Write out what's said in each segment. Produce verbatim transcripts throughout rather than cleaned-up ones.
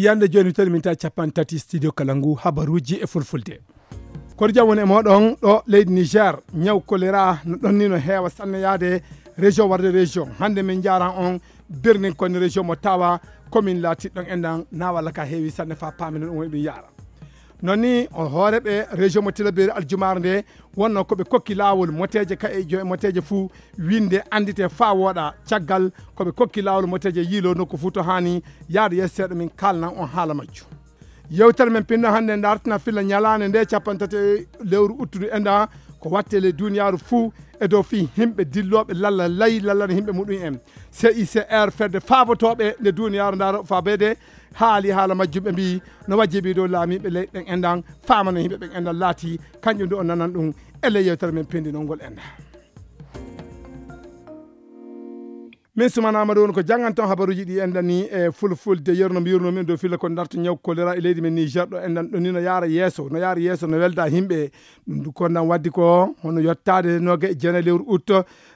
Yande jooni, mi tawi min ta capanɗe tati studio kala ngu habaruuji e fulfulde. Koɗo jam woni e mooɗon ɗo leydi Niger, ñaw kolera no ɗon ni no heewa sanne yaade région warde région. Hannde min njaaran on birnin koni région mo Tawa, commune laatiɗo ɗon enɗan na walla ka heewi sanne fa paaminen ɗum woni ɗum yaara. Noon ni o hooreɓe région mo Tilaberi aljumaare nde wonno ko ɓe kokki laawol moteeje ka e jo e moteeje fuu winde anndite faa wooɗa. Caggal ko ɓe kokki laawol moteeje yiilo nokku fuu to haani yaade yeeso seeɗa min kaalnan on haala majjum. Yewtere men pinno hannde ndartina filla ñalaande nde capanɗe tati lewru uttudu enɗan ko watte ley duniyaaru fuu e dow fii himɓe dillooɓe lalla lay lallana himɓe muɗum en. C I C R fedde faabotooɓe nde duniyaaru ndaaro faabeede haali haala majjum ɓe mbii no wajjibi dow laamiiɓe ley ɗen enɗan faamana himɓe ɓen enɗan laati kanjum ndu o nanan ɗum e ley yewtere men pindinol ngol enɗan. Min sumanaama ɗo woni ko jannganton habaruuji ɗi enɗan ni e fulfulde yerno mbiyruno min ɗo filla ko darto ñaw kolera e leydi men Niger ɗo enɗan ɗo ni no yaara yeeso no yaara yeeso no welda himɓe. Ɗum du kondan waddi ko hono yottaade noga e jeenayi lewru août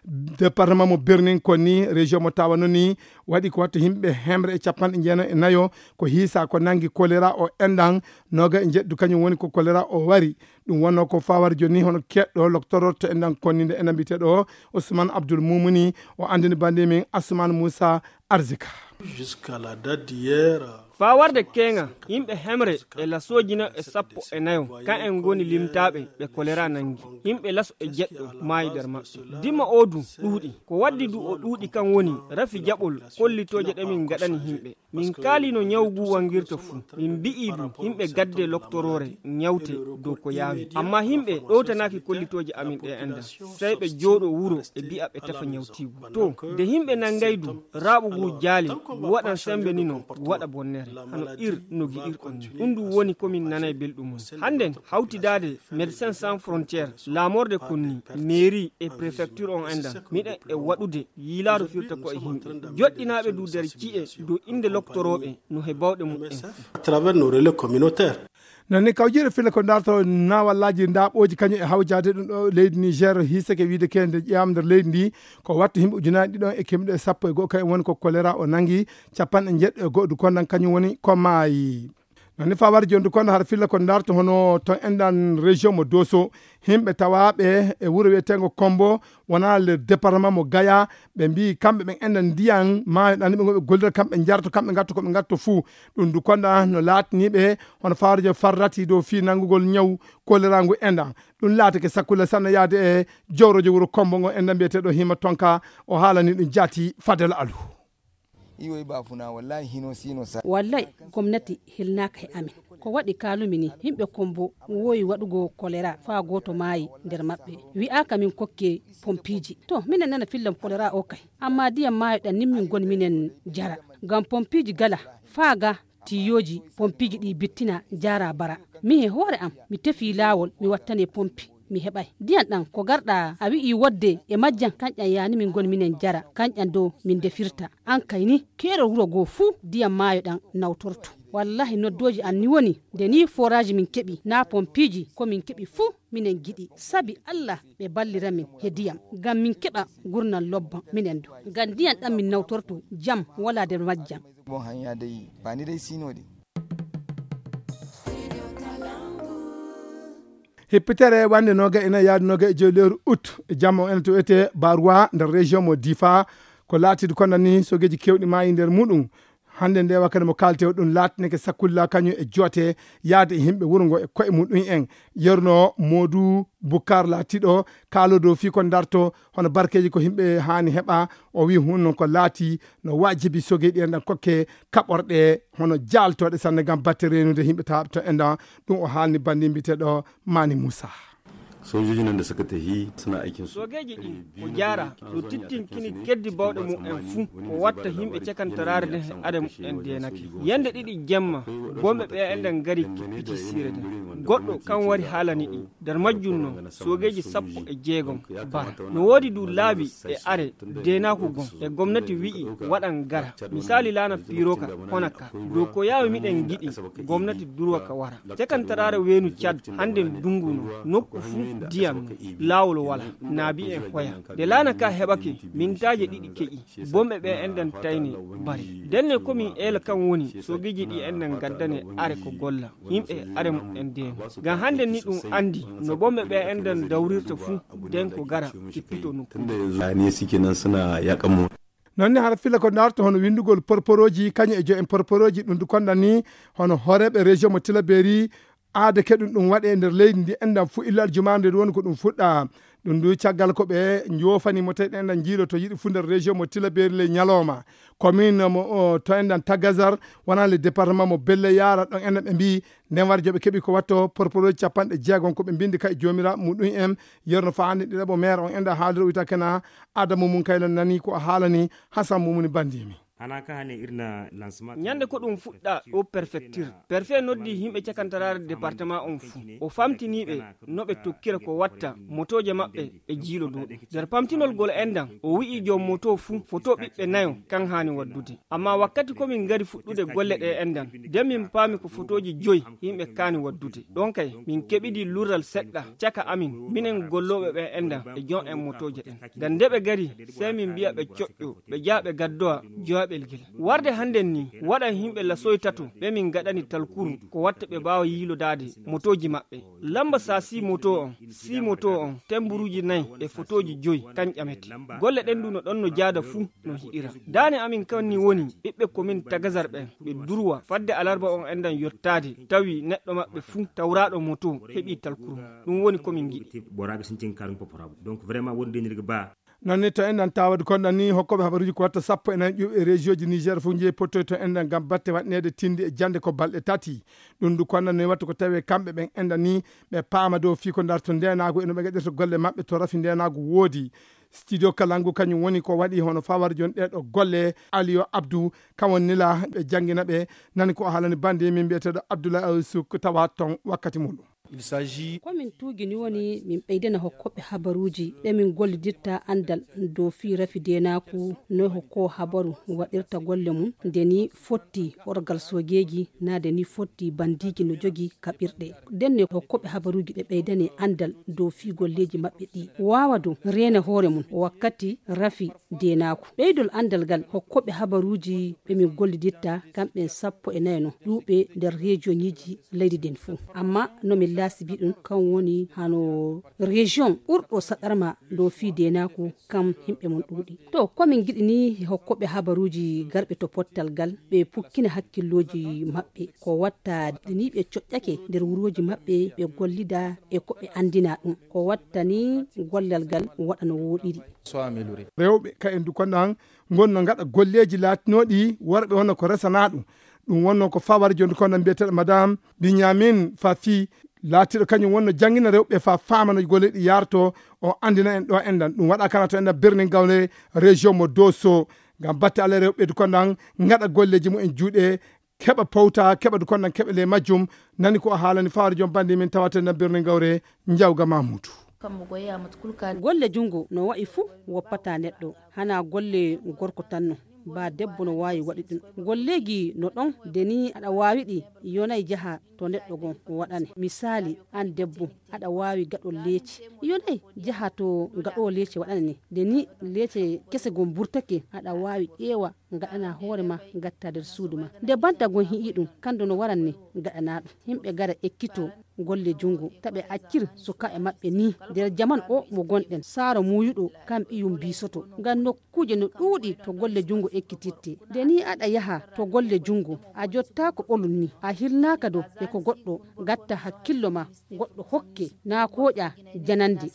département mo Birnin kon ni région mo Tawa noon ni waɗi ko watta himɓe hemre e capanɗe jeenayi e nayo ko hiisa ko nangi kolera o enɗan noga e njeɗɗu kañum woni ko kolera o wari. Ɗum wonno ko fawar joni hono keɗɗo loktororto enɗan kon ni nde enɗan mbiyeteɗo Ousmane Abdoul Moumouni o andini bande min Assoumane Moussa Arzika. Jusqu'à la date d'hier, faa warde keeŋa, yimɓe hemre e lasooji nayo e sappo e nayo, kan en ngoni limtaaɓe ɓe kolera nangi. Yimɓe laso e jeɗɗo maayi nder maɓɓe. Dimma oo du ɗuuɗi. Ko waddi du o ɗuuɗi kan woni rafi jaɓol kollitooje ɗe min ngaɗani yimɓe. Min kaalino ñaw ngu wangirta fuu. Min mbi'ii du yimɓe gadde loktoroore ñawte dow ko yaawi. Ammaa yimɓe ɗowtanaaki kollitooje amin ɗe enɗan. Sey ɓe jooɗo wuro ɓe bi'a ɓe tefa ñawtiigu. To, nde yimɓe nangay du, raaɓu ngu jaali, ngu waɗan sembe nino, ngu waɗa bonnere. Hano ir no giɗirɗon ni. Ɗum ɗum woni ko min nanay belɗum mum. Hannden, hawtidaade Médecins Sans Frontières, laamorde kon ni, mairie e préfecture on enɗan, miɗen e waɗude yiilaaru firta ko e yimɓe. Joɗɗinaaɓe du nder ci'e dow innde loktorooɓe no he bawɗe muɓɓen fuu. À travers nos relais communautaires. Noon ni kawjiiɗo filla ko darto nawallaaji ndaaɓooji kañum e hawjaade ɗum ɗo leydi Niger hiisake wiide keende ƴeewam nder leydi ndi ko wattu yimɓe ujunaaji ɗiɗon e kemɗe sappo e go'o kañum woni ko kolera o nangi capanɗe njeɗɗo e go'o du kondan kañum woni ko maayi. Noon ni fawar jondu kono hara filla ko darto hono to enɗan région mo Doso yimɓe tawaaɓe e wuro wiyeteengo Kombo wonaa le département mo Gaya ɓe mbii kamɓe ɓen enɗan ndiyan maayo ɗan ɓe ngoɓe gollira kamɓe njarto kamɓe ngatto ko ɓe ngatto fuu. Ɗum du konda no laatiniiɓe hono fawar jo farrati dow fii nanngugol ñaw kolera ngu enɗan. Ɗum laatake sakkule sanne yaade e jowrojo wuro Kombo ngo enɗan mbiyeteeɗo Hima Tonka o haalani ɗum jaati Fadel Alu. Iwoy bafuna wallahi hino sino sa. Wallahi gomnati hilnaaka he amin. Ko waɗi kaalumi ni yimɓe Kombo woowi waɗugo kolera faa gooto maayi nder maɓɓe. Wi'aaka min kokke pompiiji. To minen nana fillam kolera o kay. Amma diyam maayo ɗan nimmin gon minen jara. Ngam pompiiji gala faa ga tiyooji pompiiji ɗi bittina jaara bara. Min he hoore am mi tefii laawol mi wattane pompi. Mi heɓay ndiyan ɗan ko garɗa a wi'i wodde e majjan kanƴan yaani min ngoni minen jara kanƴan dow min ndefirta. An kay ni keerol wuro goo fuu ndiyan maayo ɗan nawtorto. Wallahi noddooji an ni woni nde ni foraaji min keɓi naa pompiiji ko min keɓi fuu minen giɗi sabi Allah ɓe ballira min he ndiyam ngam min keɓa ngurndan lobban minen du ngam ndiyan ɗan min nawtorto jam walaa nder majjan. Bon hanya dai ba ni dai sino dai. Hippitere wande noga ina yaadi noga e joyi lewru août e jamma o ena to wiyete Barwa nder région mo Difa. Ko laatiiɗo kono ni sogeeji keewɗi maayi nder muɗum. Hannde nde wakkati mo kaalte o ɗum laatinike sakkulla kañum e joote yaade e yimɓe wuro ngo e koye muɗum en. Yerno Modou Bukar laatiiɗo kaalo dow fii ko darto hono barkeeji ko yimɓe haani heɓa. O wii hun noon ko laati no waajibi sogeeɗi en ɗan kokke kaɓorɗe hono jaaltooɗe sanne ngam batte reenude yimɓe taaɓe to enɗan. Ɗum o haalni banndi mbiyeteeɗo Mani Moussa. Sojojin nan da suka tafi suna aikin su. Soogeeji ɗin ko jaara no tittinkini keddi bawɗe mumen fuu ko watta yimɓe cakantaraare nden e ade mumen deenake. Yande ɗiɗi jemma bomɓe ɓe enɗan ngari kippiti siire nden. Goɗɗo kan wari haalani ɗi. Nder majjum non soogeeji sappo e jeegom bara. No woodi du laabi e are deenaaku gon e gomnati wi'i waɗan gara. Misaali laana piiroka hona ka. Dow ko yaawi miɗen ngiɗi gomnati durwa ka wara. Cakantaraare weenu Cad hannden ndungu non nokku fuu Ndiyam, laawol wala, naabi en hoya. Nde laana ka heɓake, mintaaje ɗiɗi keƴi. Bomɓe ɓe enɗan tayne bari. Ndenne ko min eela kan woni, soogeeji ɗi enɗan ngaddane are ko golla. Yimɓe are muɓɓen deeno. Ngam hannde ni ɗum anndi no bomɓe ɓe enɗan dawrirta fuu, den ko gara kippito nokku. Non ni hara fila ko ndaarto hono winndugol porporooji, kañum e jo'en porporooji ɗum du kondan ni hono hooreeɓe région mo Tilaberi, aade keɗum ɗum waɗe e nder leydi ndi enɗan fuu illo aljumaande nde woni ko ɗum fuɗɗa. Ɗum du caggal ko ɓe njoofani mo tawi enɗan njiilo to yiɗi fuu nder région mo Tilaberi ley ñalooma. Commune mo, o, to enɗan Tagazar, wonaa le département mo Belle Yara, ɗon enɗan ɓe mbii, nden war joɓe keɓi ko watto porporooji capanɗe jeegom ko ɓe mbindi ka e joomiraaɓe muɗum en, yerno faa hannde ɗiɗaɓo maire on enɗan haaliro wiyta kena Adamu Mum Kayla nani ko a haalani Hasan Mumuni Bandimi. Hana ka hane irna lancement. Ñande ko ɗum fuɗɗa o prefecture. Perfet noddi yimɓe cakantaraare département on fuu. O famtini ɓe no ɓe tokkira ko watta motooje maɓɓe e jiilo dow ɗum. Nder pamtinol gol enɗan, o wi'i joom moto fuu foto ɓiɓɓe nayo kan haani waddude. Amma wakkati ko min ngari fuɗɗude golle ɗe enɗan, nden min paami ko fotooji joyi yimɓe kaani waddude. Ɗon kay, min keɓidi lurral seɗɗa caka amin, minen gollooɓe ɓe enɗan e joom en motooje ɗen. Ngam nde ɓe ngari, sey min mbi'a ɓe coƴƴo, ɓe jaa ɓe gaddowa joyaɓel ngel. Warde hannden ni, waɗan yimɓe lasoy tato ɓe min ngaɗani talkuru ko watta ɓe mbaawa yiilodaade motooji maɓɓe. Lamba sa sii moto on, sii moto on, temburuuji nayi e fotooji joyi, kan ƴamete. Golle ɗen du no ɗon no jaada fuu no hiɗira. Daane amin kan ni woni ɓiɓɓe komin Tagazar ɓen, ɓe durwa fadde alarba on enɗan yottaade, tawi neɗɗo maɓɓe fuu tawraaɗo moto heɓii talkuru mum. Ɗum woni ko min ngiɗi. Boraaɓe sintin karum poporaaɓe. Donc vraiment wonde nirga ba. Non ni to enɗan tawade konɗan ni hokkooɓe habaruuji ko watta sappo e nayi ƴuuɓe e région ji Niger fof njeyi pottoy to enɗan ngam batte waɗneede tindi e jannde ko balɗe tati. Ɗum du konɗan ni watta ko tawi kamɓe ɓen enɗan ni ɓe paama dow fii ko ndarto ndeenaagu e no ɓe ngaɗirta golle maɓɓe to rafi ndeenaagu woodi. Studio Kalangu kañum woni ko waɗi hono fawar jon ɗee ɗo golle. Aliyo Abdou, kam woni nila ɓe janngina ɓe, nani ko o haalani bannde min mbiyeteeɗo Abdoulaye Aw Souk tawa ton wakkati muɗum. Ko min tuugi ni woni min ɓeydana hokkooɓe habaruuji ɓe min gollidirta anndal dow fii rafi deenaaku, no hokkoo habaru waɗirta golle mum, nde ni fotti orgal soogeeji, naa nde ni fotti bandiiji no jogi kaɓirɗe. Ndenne hokkooɓe habaruuji ɓe ɓeydane anndal dow fii golleeji maɓɓe ɗi. Waawa du reena hoore mum wakkati rafi deenaaku. Ɓeydol anndal ngal hokkooɓe habaruuji ɓe min gollidirta kamɓen sappo e nayo no ƴuuɓe nder rejiyoŋiiji leydi ndin fuu. Amma no min laasibi ɗum kan woni hano rejiyoŋ ɓurɗo saɗarma dow fii deenaaku kam yimɓe mum ɗuuɗi. To ko min ngiɗi ni hokkooɓe habaruuji garɓe to pottal ngal ɓe pukkina hakkillooji maɓɓe ko watta ni ɓe coƴƴake nder wurooji maɓɓe ɓe gollida e ko ɓe anndina ɗum. Ko watta ni gollal ngal waɗa no wooɗiri. Rewɓe ka en du konɗan ngonno ngaɗa golleeji laatinooɗi worɓe wonno ko resanaa ɗum. Ɗum wonno ko fawar jonde konɗan mbiyeteeɗo madame Binyamin Fafi laatiiɗo kañum wonno janngina rewɓe fa faama no golle ɗi yaarto o anndina en ɗo enɗan. Ɗum waɗa kana to enɗan Birnin Gawle région mo Doso. Ngam batte Allah rewɓe du konɗan ngaɗa golleeji mumen juuɗe keɓa powta, keɓa du konɗan keɓe ley majjum. Nani ko o haalani fawar jom bannde min tawata enɗan Birnin Gawre Njawga Mamuudu. Golle junngo no wa'i fuu woppataa neɗɗo, hanaa golle gorko tan no, baa debbo no waawi waɗi ɗum. Golleeji no ɗon, nde ni aɗa waawi ɗi, yonay jaha to neɗɗo gon waɗane. Misaali, aan debbo, aɗa waawi gaɗol leece, yonay jaha to gaɗoowo leece waɗane ni. Nde ni leece kese gon burtake, aɗa waawi ƴeewa ngaɗana hoore ma, ngatta nder suudu ma. Nde banta gon hi'i ɗum, kando no waran ni ngaɗana ɗum. Yimɓe gara ekkito golle junngo, ta ɓe accir sukaaɓe maɓɓe ni. Nder jaman o mo gonɗen, saaro muuyuɗo kan ɓiyum biisoto. Ngam nokkuuje no ɗuuɗi to golle junngo ekkitirte. Nde ni aɗa yaha to golle junngo, a jottaako ɓolum ni, a hilnaaka dow e ko goɗɗo gatta hakkillo ma, goɗɗo hokke naa kooƴa janande.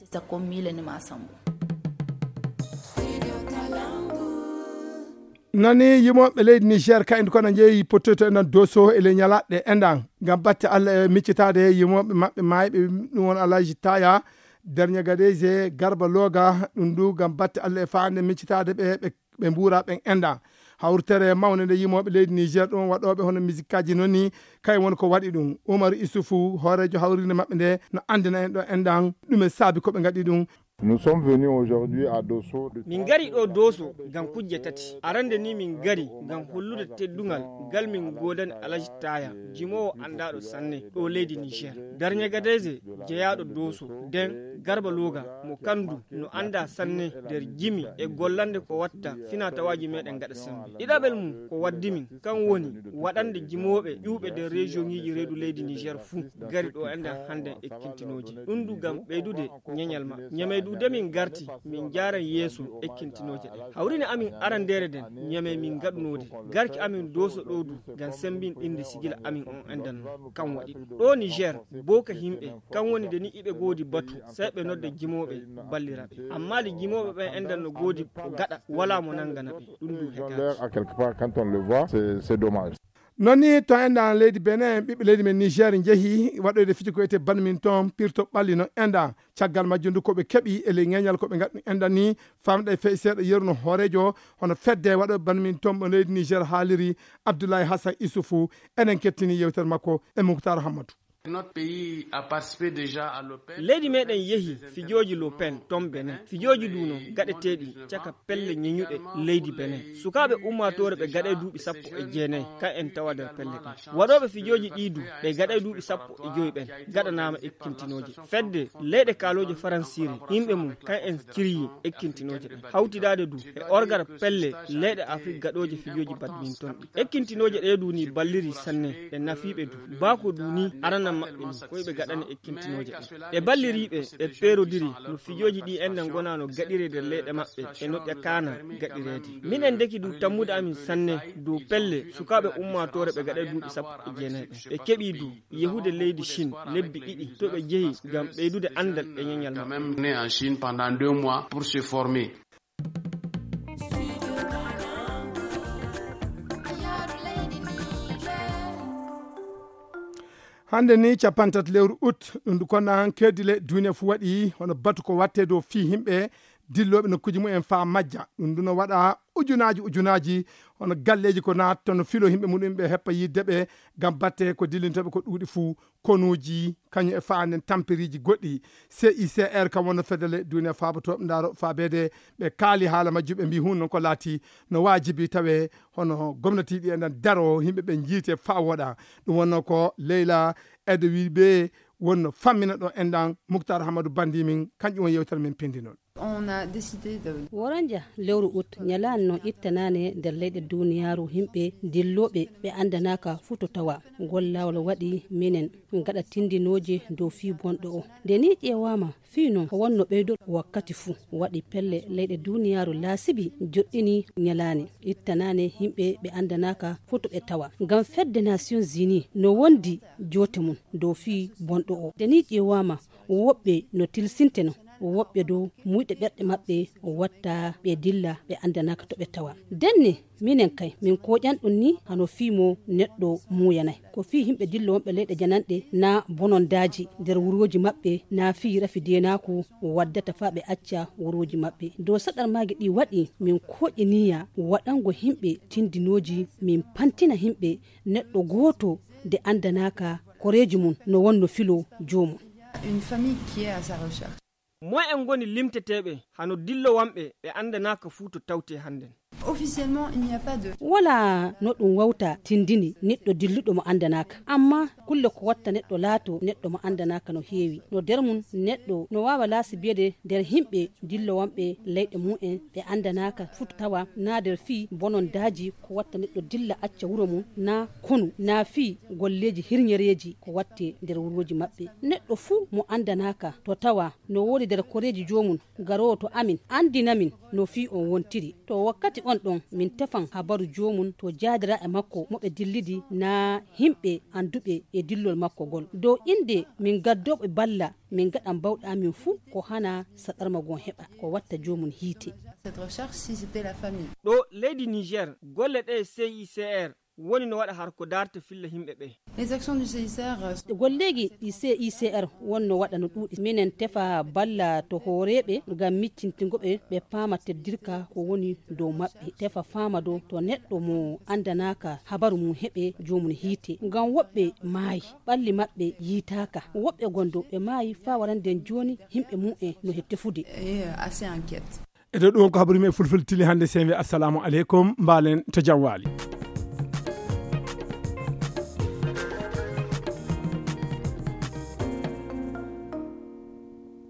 Nani yimooɓe leydi Niger kayndi kono njeeyi pottoyto enɗan Doso e ley ñalaaɗe enɗan ngam batte Allah e miccitaade yimooɓe maɓɓe maayɓe, ɗum won Alhaji Taya Dernier Gadeze Garba Loga. Ɗum du ngam batte Allah e faande miccitaade ɓe ɓe ɓe mbuura ɓen enɗan. Hawritere mawnde nde yimooɓe leydi Niger ɗum waɗooɓe hono musikkaaji noon ni kay woni ko waɗi ɗum. Umaru Isufu hooreejo hawrinde maɓɓe nde no anndina en ɗo enɗan ɗume saabi ko ɓe ngaɗi ɗum. Nous sommes venus aujourd'hui à Dosso. Min ngari ɗo Dosso ngam kujje tati. Arande ni min ngari ngam hollude teddungal ngal min godani Alaji Taya, jimowo andaɗo sanne ɗo leydi Niger. Darñe Gadeze jeyaɗo Dosso, den Garba Loga mo kandu no anda sanne nder jimi e gollande ko watta fina tawaji meɗen gaɗa sembe. Ɗiɗaɓel mum ko waddi min, kan woni waɗande jimoɓe ƴuuɓe nder région ngiji reedu leydi Niger fuu gari ɗo enden hande ekkintinoje. Ɗum du ngam ɓeydude ñeñal maɓɓe. Ñamey du de min garti, min njaaran yeeso ekkintinooje ɗen. Hawrine amin arandeere nden, ñamey min ngaɗunoode. Garki amin Dosso ɗo du, ngam sembinɗinde sigila amin on endan no, kan waɗi ɗum. Ɗo Niger, booka himɓe, kan woni de ni iɓe goodi batu, sey ɓe nodda jimooɓe ballira ɓe. Amma de jimooɓe ɓen endan no goodi ko gaɗa, walaa mo nangana ɓe. Ɗum du he gaati. À quelque part, quand on le voit, c'est, c'est dommage. Non ni to enɗan leydi Benin, ɓiɓɓe leydi men Niger njehi waɗoyde fiji ko wiyetee badminton, pirto ɓalli non enɗan. Caggal majjum du ko ɓe keɓi e ley ŋeñal ko ɓe ngaɗi enɗan ni, famɗa e fey seeɗa yeru no hooreejo hono fedde waɗo badminton mo leydi Niger haaliri, Abdoulaye Hassan Issoufou. Enen kettini yewtere makko e Mouhtar Hammadou. Notre pays a participé déjà à l'Open. Leydi meɗen yehi fijooji l'Open ton Benin. Fijooji du non gaɗeteeɗi caka pelle ñeñuɗe leydi Benin. Sukaaɓe ummaatoore ɓe gaɗay duuɓi sappo e jeenay, kan en tawa nder pelle ɗen. Waɗooɓe fijooji ɗi du ɓe gaɗay duuɓi sappo e joyi ɓen gaɗanaama ekkintinooje. Fedde leyɗe kaalooje faransiire, yimɓe mum kan en ciryi ekkintinooje ɗen. Hawtidaade du e orgar pelle leyɗe Afrik gaɗooje fijooji badminton ɗi. Ekkintinooje ɗe du ni balliri sanne, ɗe nafiiɓe du. Baako du ni arana maɓɓe ɗum, ko ɓe gaɗani ekkintinooje ɗen. Ɓe balliriiɓe, ɓe peerodiri no fijooji ɗi enɗan ngona no gaɗire nder leyɗe maɓɓe e no ɗe kaana gaɗireede. Minen ndeki du tammude amin sanne dow pelle sukaaɓe ummaatoore ɓe gaɗay duuɓi sappo e jeenay ɓen. Ɓe keɓi du yehude leydi Chine lebbi ɗiɗi to ɓe jehi ngam ɓeydude anndal e ñeñal maɓɓe. Quand même né en Chine pendant deux mois pour se former. Hannde ni capanɗe tati lewru ut, ɗum ndu konna han keedile duniya fu waɗi hono batu ko watte dow fii himɓe dillooɓe nokkuuji mumen faa majja. Ɗum ndu no waɗa ujunaaji ujunaaji hono galleeji ko naatto no filo himɓe muɗum ɓe heppa yidde ɓe ngam batte ko dillintooɓe ko ɗuuɗi fuu, konuuji, kañum e faa nden tampiriiji goɗɗi. C I C R kam wonno fedele duniya faabotooɓe ndaaro faabeede ɓe kaali haala majjum ɓe mbii hun non ko laati no waajibi tawe hono gomnatiiɗi e nden daro himɓe ɓe njiite faa wooɗa. Ɗum wonno ko Leyla Edewiɓe wonno fammina ɗo enɗan Muktar Hamadu Bandi min kanƴum won yewtere min pindinol. On a décidé de Woranja lewru ut ñalaani no ittanaane nder leyɗe duniyaaru himɓe dillooɓe ɓe anndanaaka fuu to tawa. Ngol laawol waɗi minen ngaɗa tindinooje dow fii bonɗo o. Nde ni ƴeewaama fii non ko wonno ɓeydo wakkati fuu. Waɗi pelle leyɗe duniyaaru laasibi joɗɗini ñalaani ittanaane himɓe ɓe anndanaaka fuu to ɓe tawa. Ngam fedde Nations Unies no wondi joote mum dow fii bonɗo o. Nde ni ƴeewaama woɓɓe no tilsinteno, woɓɓe dow muyɗe ɓerɗe maɓɓe watta ɓe dilla ɓe anndanaaka to ɓe tawa. Denne minen kay min kooƴan ɗum ni hano fii mo neɗɗo muuyanay. Ko fii himɓe dillo wonɓe leyɗe jananɗe naa bonondaaji nder wurooji maɓɓe naa fii rafi deenaaku waddata faa ɓe acca wurooji maɓɓe. Dow saɗarmaaji ɗi waɗi min kooƴiniya waɗango himɓe tindinooji min pantina himɓe neɗɗo gooto nde anndanaaka koreeji mum no wonno filo joomum. Une famille qui est à sa recherche. Moy en ngoni limteteeɓe hano dillowanɓe ɓe anndanaaka fuu to tawte hannden? Officiellement, il n'y a pas de Wala no ɗum wawta tindini neɗɗo dilluɗo mo anndanaaka. Amma kulle ko watta neɗɗo laato neɗɗo mo anndanaaka no heewi. No nder mum neɗɗo no waawa laasibeede nder himɓe dillowanɓe leyɗe mumen ɓe anndanaaka fuu to tawa naa nder fii bonondaaji ko watta neɗɗo dilla acca wuro mum naa konu naa fii golleeji hirñereeji ko watte nder wurooji maɓɓe. Neɗɗo fuu mo anndanaaka to tawa no woodi nder koreeji joomum garoowo to amin anndina min no fii on wontiri. To wakkati on ɗon min tefan habaru joomum to jaadira e makko mo ɓe dillidi naa himɓe annduɓe e dillol makko ngol. Dow innde min gaddooɓe balla min ngaɗan bawɗe amin fuu ko hana saɗarma gon heɓa ko watta joomum hiite. Cette recherche, si c'était la famille. Ɗo leydi Niger golle ɗe C I C R woni no waɗa har ko daarta filla yimɓe ɓe. Golleeji ɗi C I C R wonno waɗa no ɗuuɗi. Minen tefa balla to hooreeɓe ngam miccintingo ɓe, ɓe paama teddirka ko woni dow maɓɓe. Tefa faama dow to neɗɗo mo anndanaaka habaru mum heɓe joomum hiite. Ngam woɓɓe maayi, ɓalli maɓɓe yiitaaka. Woɓɓe gondo ɓe maayi faa warande jooni yimɓe mum en no he tefude. Eto ɗum ko habaru men fulfulde tili hannde. Sey mbi assalamu aleykum, mbaalen to jam waali.